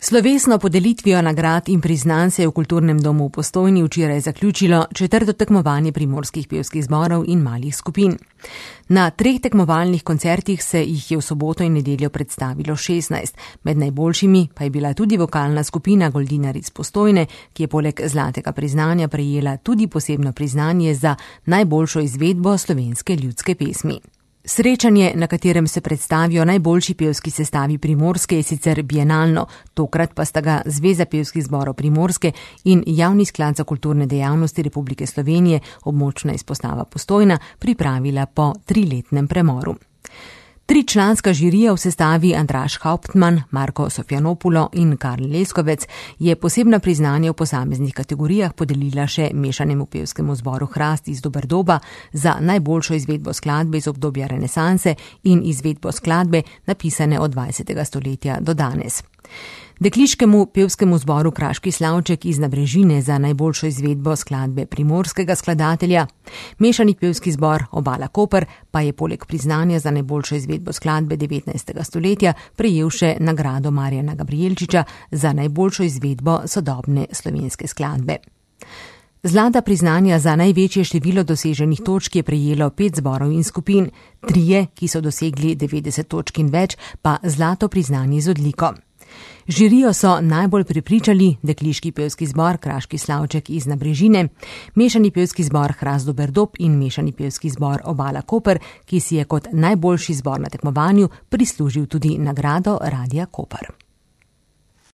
Slovesno podelitvijo nagrad in priznanj se je v Kulturnem domu v Postojni včeraj zaključilo 4. tekmovanje primorskih pevskih zborov in malih skupin. Na 3 tekmovalnih koncertih se jih je v soboto in nedeljo predstavilo 16. Med najboljšimi pa je bila tudi vokalna skupina Goldinar iz Postojne, ki je poleg zlatega priznanja prejela tudi posebno priznanje za najboljšo izvedbo slovenske ljudske pesmi. Srečanje, na katerem se predstavijo najboljši pevski sestavi Primorske, je sicer bienalno, tokrat pa sta ga Zveza pevskih zborov Primorske in Javni sklad za kulturne dejavnosti Republike Slovenije, območna izpostava Postojna, pripravila po 3-letnem premoru. 3-članska žirija v sestavi Andraž Hauptmann, Marko Sofjanopulo in Karl Leskovec je posebna priznanja v posameznih kategorijah podelila še mešanemu pevskemu zboru Hrast iz Doberdoba za najboljšo izvedbo skladbe iz obdobja renesanse in izvedbo skladbe napisane od 20. stoletja do danes. Dekliškemu pevskemu zboru Kraški slavček iz Nabrežine za najboljšo izvedbo skladbe primorskega skladatelja, mešani pevski zbor Obala Koper pa je poleg priznanja za najboljšo izvedbo skladbe 19. stoletja prejel še nagrado Marjana Gabrijelčiča za najboljšo izvedbo sodobne slovenske skladbe. Zlata priznanja za največje število doseženih točk je prejelo 5 zborov in skupin, 3, ki so dosegli 90 točk in več, pa zlato priznanje z odliko. Žirijo so najbolj prepričali dekliški pevski zbor Kraški slavček iz Nabrežine, mešani pevski zbor Hrast Doberdob in mešani pevski zbor Obala Koper, ki si je kot najboljši zbor na tekmovanju prislužil tudi nagrado Radia Koper.